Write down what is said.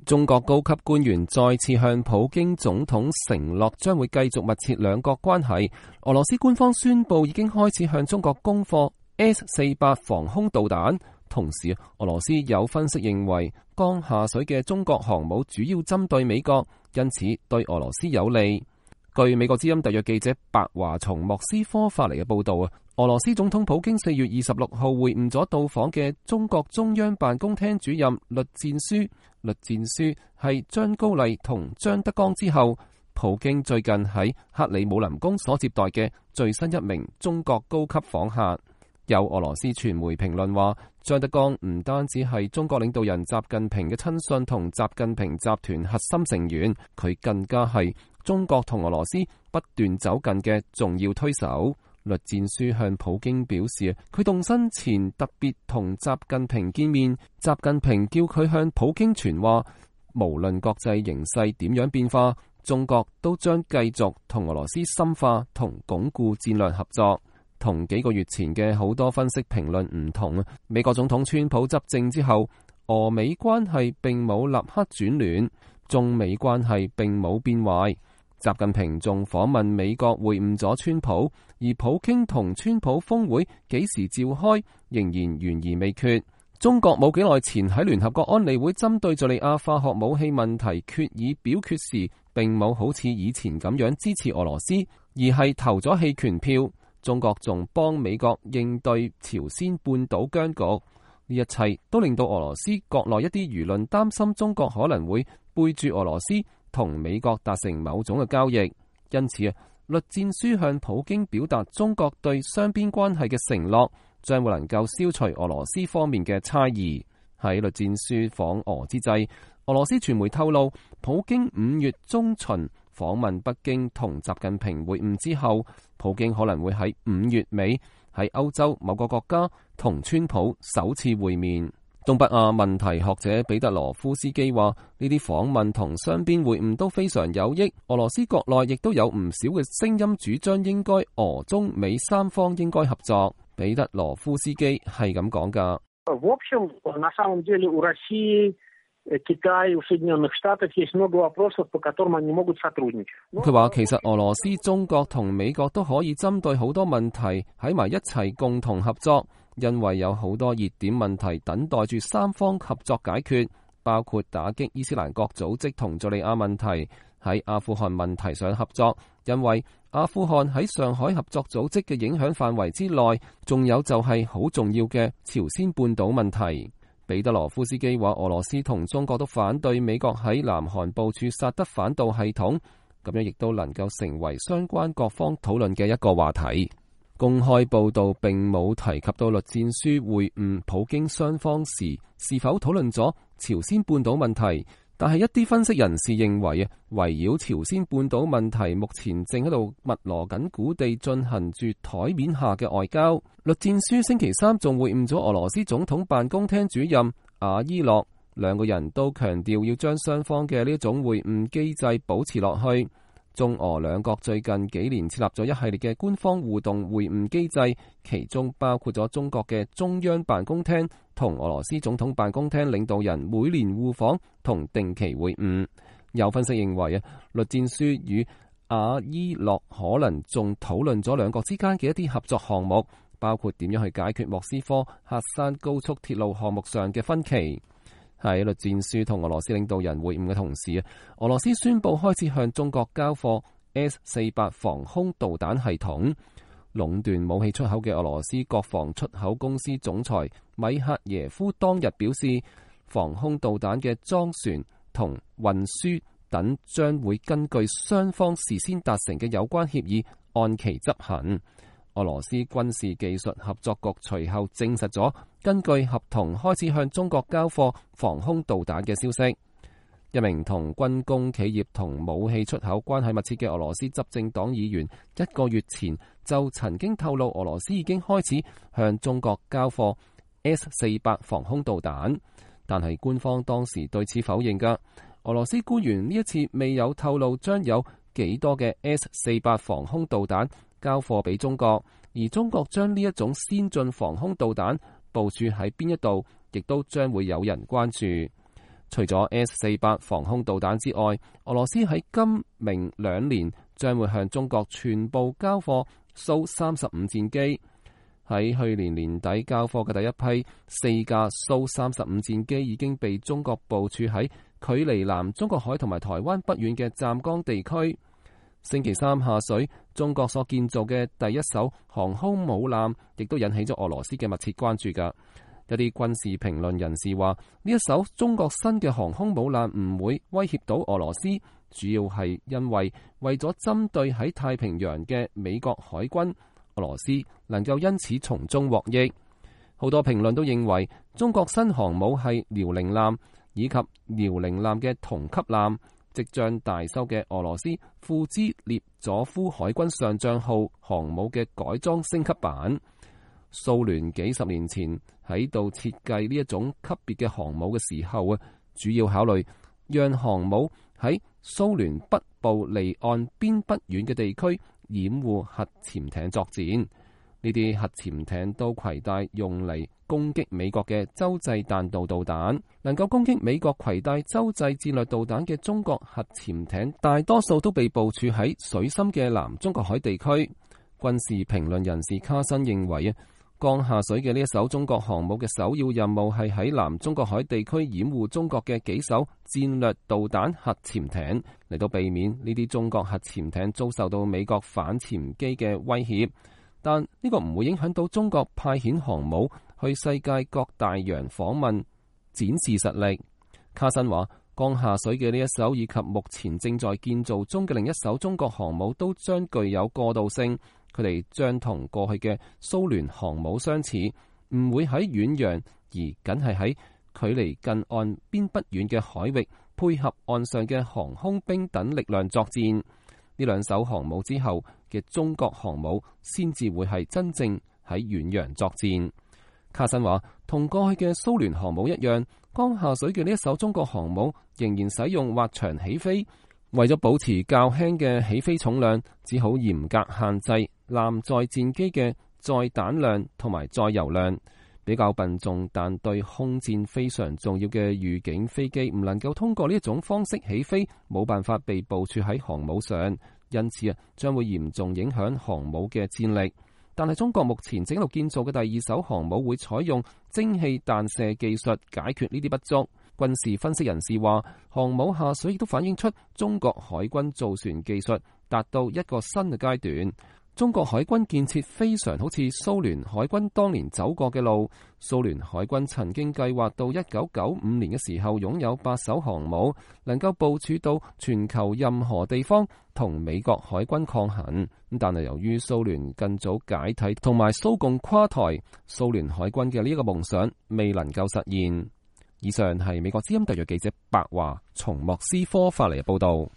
中國高級官員再次向普京總統承諾將會繼續密切兩國關係。俄羅斯官方宣布已經開始向中國供貨 S-400防空導彈。同時，俄羅斯有分析認為，剛下水嘅中國航母主要針對美國，因此對俄羅斯有利。據美國之音特約記者白華從莫斯科發嚟嘅報道，俄羅斯總統普京4月26號會晤咗到訪嘅中國中央辦公廳主任栗戰書。栗戰書係張高麗同張德江之後，普京最近喺克里姆林宮所接待嘅最新一名中國高級訪客。有俄羅斯傳媒評論話，張德江唔單止係中國領導人習近平嘅親信同習近平集團核心成員，佢更加係中國同俄羅斯不斷走近嘅重要推手。栗戰書向普京表示，佢動身前特別同習近平見面，習近平叫佢向普京傳話，無論國際形勢點樣變化，中國都將繼續同俄羅斯深化同鞏固戰略合作。同幾個月前嘅好多分析評論唔同，美國總統川普執政之後，俄美關係並冇立刻轉暖，中美關係並冇變壞。習近平仲訪問美國會晤咗川普，而普京同川普峰會幾時召開仍然懸而未決。中國冇幾耐前喺聯合國安理會針對敘利亞化學武器問題決議表決時，並冇好似以前咁樣支持俄羅斯，而係投咗棄權票。中國仲幫美國應對朝鮮半島僵局，呢一切都令到俄羅斯國內一啲輿論擔心中國可能會背住俄羅斯同美國達成某種嘅交易。因此栗戰書向普京表達中國對雙邊關係嘅承諾，將會能夠消除俄羅斯方面嘅猜疑。喺栗戰書訪俄之際，俄羅斯傳媒透露，普京5月中旬訪問北京同習近平會晤之後，普京可能會喺5月尾喺歐洲某個國家同川普首次會面。東北亞問題學者彼得羅夫斯基話，呢啲訪問同雙邊會晤都非常有益。俄羅斯國內亦都有唔少嘅聲音主張應該俄中美三方應該合作。彼得羅夫斯基係咁講㗎。佢話其實俄羅斯、中國同美國都可以針對好多問題喺埋一齊共同合作，因為有好多熱點問題等待住三方合作解決，包括打擊伊斯蘭國組織同敘利亞問題，喺阿富汗問題上合作，因為阿富汗喺上海合作組織嘅影響範圍之內，仲有就係好重要嘅朝鮮半島問題。彼得羅夫斯基話，俄羅斯同中國都反對美國喺南韓部署薩德反導系統，咁樣亦都能夠成為相關各方討論嘅一個話題。公開報道並冇提及到栗戰書會晤普京雙方時是否討論咗朝鮮半島問題，但係一啲分析人士認為圍繞朝鮮半島問題目前正喺度密鑼緊鼓地進行住台面下嘅外交。栗戰書星期三仲會晤咗俄羅斯總統辦公廳主任阿伊諾，兩個人都強調要將雙方嘅呢種會晤機制保持落去。中俄兩國最近幾年設立咗一系列嘅官方互動會晤機制，其中包括咗中國嘅中央辦公廳同俄羅斯總統辦公廳領導人每年互訪同定期會晤。有分析認為栗戰書與阿伊諾可能仲討論咗兩國之間嘅一啲合作項目，包括點樣去解決莫斯科喀山高速鐵路項目上嘅分歧。喺栗戰書同俄羅斯領導人會晤嘅同時，俄羅斯宣布開始向中國交貨 S-400防空導彈系統。壟斷武器出口嘅俄羅斯國防出口公司總裁米克耶夫當日表示，防空導彈嘅裝船同運輸等將會根據雙方事先達成嘅有關協議按期執行。俄羅斯軍事技術合作局隨後證實咗，根據合同開始向中國交貨防空導彈嘅消息。一名同軍工企業同武器出口關係密切嘅俄羅斯執政黨議員1個月前就曾經透露，俄羅斯已經開始向中國交貨 S-400防空導彈，但係官方當時對此否認㗎。俄羅斯官員呢一次未有透露將有幾多嘅 S-400防空導彈交貨俾中國，而中國將呢一種先進防空導彈部署喺邊一度，亦都將會有人關注。除咗 S-48 防空導彈之外，俄羅斯喺今明2年將會向中國全部交貨蘇35戰機。喺去年年底交貨嘅第一批4架蘇35戰機已經被中國部署喺距離南中國海同埋台灣不遠嘅湛江地區。星期三下水，中國所建造嘅第一艘航空母艦亦都引起咗俄羅斯嘅密切關注㗎。一啲軍事評論人士話，呢一艘中國新嘅航空母艦唔會威脅到俄羅斯，主要係因為咗針對喺太平洋嘅美國海軍，俄羅斯能夠因此從中獲益。好多評論都認為，中國新航母係遼寧艦以及遼寧艦嘅同級艦，即將大修嘅俄羅斯庫茲列佐夫海軍上將號航母嘅改裝升級版。蘇聯幾十年前喺度設計呢一種級別嘅航母嘅時候啊，主要考慮讓航母喺蘇聯北部離岸邊不遠嘅地區掩護核潛艇作戰。呢啲核潛艇都攜帶用嚟攻擊美國嘅洲際彈道導彈，能夠攻擊美國攜帶洲際戰略導彈嘅中國核潛艇，大多數都被部署喺水深嘅南中國海地區。軍事評論人士卡申認為啊，剛下水嘅呢一艘中國航母嘅首要任務係喺南中國海地區掩護中國嘅幾艘戰略導彈核潛艇，嚟到避免呢啲中國核潛艇遭受到美國反潛機嘅威脅。但呢個唔會影響到中國派遣航母去世界各大洋訪問，展示實力。卡申話，剛下水嘅呢一艘以及目前正在建造中嘅另一艘中國航母都將具有過渡性，佢哋將同過去嘅蘇聯航母相似，唔會喺遠洋，而僅係喺距離近岸邊不遠嘅海域配合岸上嘅航空兵等力量作戰。呢兩艘航母之後嘅中國航母先至會係真正喺遠洋作戰。卡申話，同過去嘅蘇聯航母一樣，剛下水嘅呢一艘中國航母仍然使用滑翔起飛，為咗保持較輕嘅起飛重量，只好嚴格限制艦載戰機嘅載彈量同埋載油量。比較笨重但對空戰非常重要嘅預警飛機唔能夠通過呢一種方式起飛，冇辦法被部署喺航母上，因此將會嚴重影響航母嘅戰力。但係中國目前正喺度建造嘅第二艘航母會採用蒸汽彈射技術解決呢啲不足。軍事分析人士話，航母下水亦都反映出中國海軍造船技術達到一個新嘅階段。中國海軍建設非常好似蘇聯海軍當年走過嘅路。蘇聯海軍曾經計劃到1995年嘅時候擁有8艘航母，能夠部署到全球任何地方同美國海軍抗衡。但係由於蘇聯更早解體同埋蘇共垮台，蘇聯海軍嘅呢一個夢想未能夠實現。以上係美國之音特約記者白華從莫斯科發嚟嘅報道。